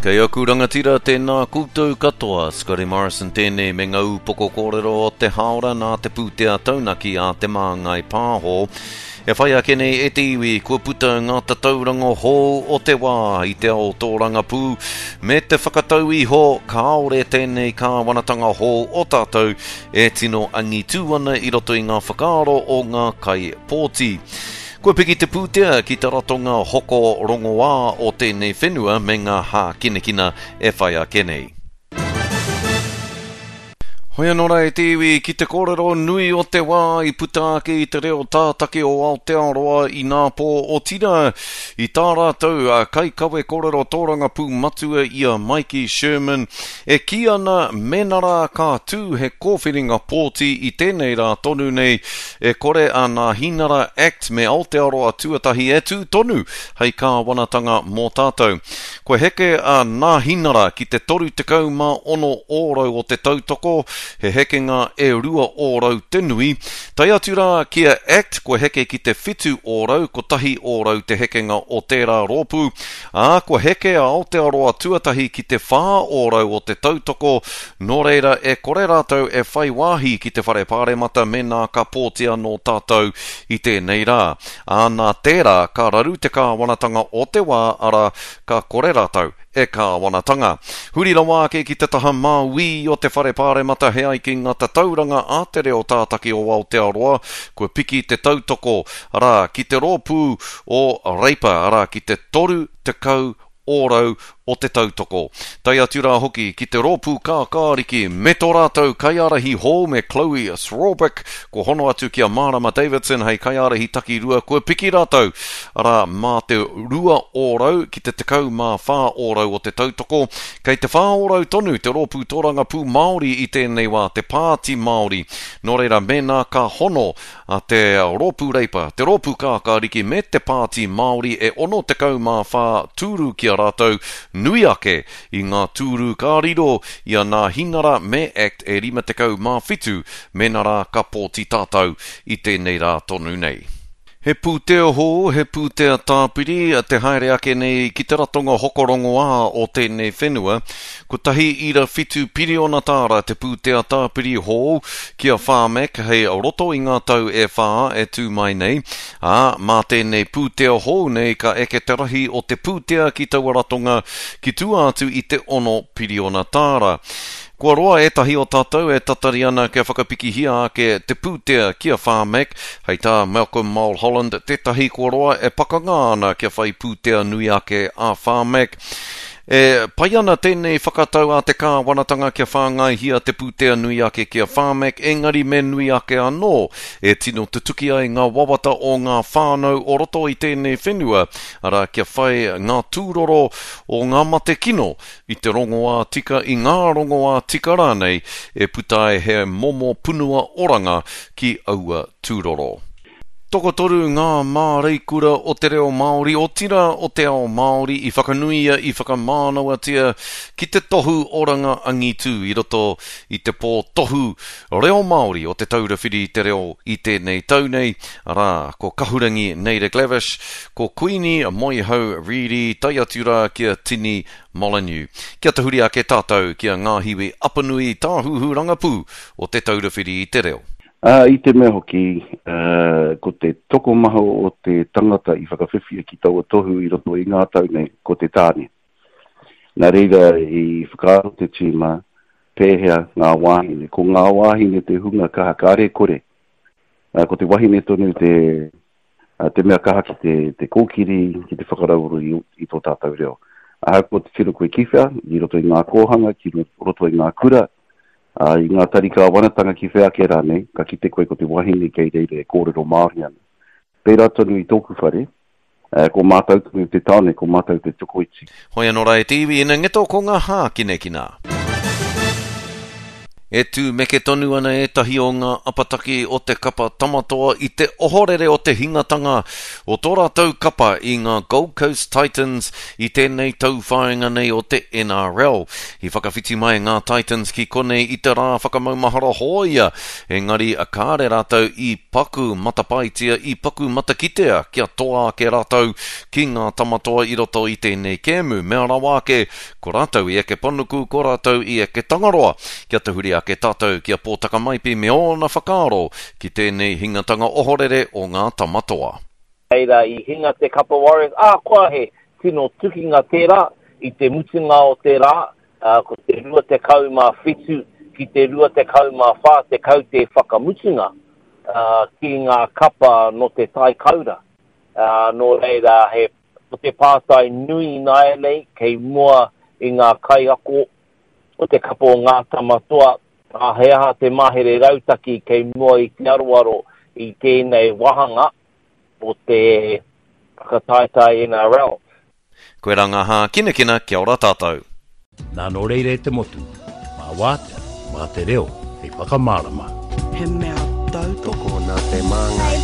Kei aku rangatira, tēnā koutou katoa. Scotty Morrison tēnei me ngā ūpoko kōrero o te hāora nā te pūtea taunaki a Te Māngai Pāho. E whai ake nei e te iwi, kua puta ngā tatauranga hou o te wā i te ao tōrangapū, me te whakatau iho kāore tēnei kāwanatanga hou o tātou e tino angitū ana i roto i ngā whakaaro o ngā kaipōti. Kua piki te pūtea ki te ratonga hoko rongoā o tēnei whenua me ngā hākinakina e whai ake nei. Hoi anō rā e te iwi ki te kōrero nui o te wā i puta ake i te reo tātaki o Aotearoa inapō, otirā i tā rātou kaikawe kōrero tōrangapū matua i a Maiki Sherman e kī ana mēnā rā ka tū he kōwhiringa pōti i tēnei rā tonu nei e kore a Nāhinara Act me Aotearoa Tuatahi e tū tonu hei kāwanatanga mō tātou. Kua heke a Nāhinara ki te 36 ōrau o te tautoko, he hekenga e 2 ōrau te nui. Tae atu rā ki a Act kua heke ki te 7 ōrau, kotahi ōrau te hekenga o tērā rōpū, ā, kua heke a Aotearoa Tuatahi ki te 4 ōrau o te tautoko, nō reira e kore rātou e whai wāhi ki te Whare Pāremata mēnā ka pōti anō tātou i tēnei rā. Ā, nā tērā ka raru te kāwanatanga o te wā, arā, ka kore rātou e kāwanatanga. Huri rawa ake ki te taha māuī o te Whare Pāremata he ai ki ngā tatauranga a Te Reo Tātaki o Aotearoa, kua piki te tautoko, arā, ki te rōpū o Reipa, arā, ki te 30 ōrau o te tautoko. Tae atu rā hoki ki te Rōpū Kākāriki me tō rātou kaiārahi hou me Chloe Swarbrick, kua hono atu ki a Marama Davidson hei kaiārahi takirua, kua piki rātou, arā, mā te 2 ōrau ki te 14 ōrau o te tautoko. Kei te 4 ōrau tonu te Rōpū Tōrangapū Māori i tēnei wā, te Pāti Māori. Nō reira, mēnā ka hono a te Rōpū Reipa, te Rōpū Kākāriki me te Pāti Māori e 64 tūru ki a rātou, nui ake i ngā tūru ka riro i a Nāhinara me Act e 57 mēnā rā ka pōti tātou i tēnei rā tonu nei. He pūtea hou, he pūtea tāpiri te haere ake nei ki te ratonga hoko rongoā o tēnei whenua. Kotahi ira whitu piriona tāra te pūtea tāpiri hou ki a Pharmac hei roto i ngā tau e whā e tū mai nei, ā, mā tēnei pūtea hou nei ka eke te rahi o te pūtea ki taua ratonga ki tua atu i te ono piriona tāra. Kua roa ētahi o tātou e tatari ana kia whakapikihia ake te pūtea ki a Pharmac, hei tā Malcolm Mulholland, tētahi kua roa e pakanga ana kia whai pūtea nui ake a Pharmac. E pai ana tēnei whakatau a te kāwanatanga kia whāngaihia te pūtea nui ake ki a Pharmac, engari me nui ake anō e tino tutuki ai ngā wawata o ngā whānau o roto i tēnei whenua, arā kia whai ngā tūroro o ngā mate kino i te rongoā tika, i ngā rongoā tika rānei e puta ai he momo punua oranga ki aua tūroro. Tokotoru ngā māreikura o te reo Māori, otirā o te ao Māori i whakanuia, i whakamānawatia ki te tohu oranga angitū i roto i te pō tohu reo Māori o Te Taura Whiri i te Reo i tēnei tau nei, arā, ko Kahurangi Naida Glavish, Ko Kuini Moehau Reedy tae atu rā ki a Tini Molyneux. Kia tahuri ake tātou ki a Ngāhiwi Apanui Tāhuhu Rangapū o Te Taura Whiri i te Reo. Ā, i te mea hoki, ko te tokomaha o te tangata i whakawhiwhia ki taua tohu i roto i ngā tau nei, ko te tāne. Nā reira i whakaaro te tīma, pēhea ngā wāhine. Ko ngā wāhine te hunga kaha kāre kore. Ko te wahine tonu te, te mea kaha ki te, te kōkiri, ki te whakarauora i, i tō tātou reo. Ahakoa te tiro koe ki whea, i roto i ngā kōhanga, ki roto i ngā kura, ā, i ngā tari kāwanatanga ki whea ake rānei, ka kite koe ko te wahine kei reira e kōrero Māori ana. Pērā tonu i tōku whare, ko mātou tonu te tāne, ko mātou te tokoiti. Hoi anō rā e te iwi, ina ngeto ko ngā hākinakina. E tūmeke tonu ana ētahi o ngā apataki o te kapa Tamatoa i te ohorere o te hingatanga o tō rātou kapa i ngā Gold Coast Titans i tēnei tauwhāinga nei o te NRL. I whakawhiti mai ngā Titans ki konei i te rā whakamaumahara hōia, engari kāre rātou i paku matapaetia, i paku matakitea kia toa ake rātou ki ngā Tamatoa i roto i tēnei kēmu. Mea rawa ake, Ko rātou i eke panuku, ko rātou i eke Tangaroa. Kia tahuri ake tātou ki a Pōtaka Maipi me ōna whakaaro ki tēnei hingatanga ohorere o ngā tama toa. Reira i hinga te kapa Warriors, ahakoa he tino tukinga tērā, i te mutunga o te rā, ko te 27 ki te 24 te kaute whakamutunga ki ngā kapa nō te taikaura. Nō reira he Ko te pātai nui ināianei kei mua i ngā kaiako o te kapa o Ngā Tama Toa, ā, he aha te mahere rautaki kei mua i te aroaro i tēnei wāhanga o te whakataetae NRL. Koirā ngā hākinakina, kia ora tātou. Nā nō reira e te motu, mā wātea, mā te reo hei whakamārama. He mea tautoko. Tokona te māngai.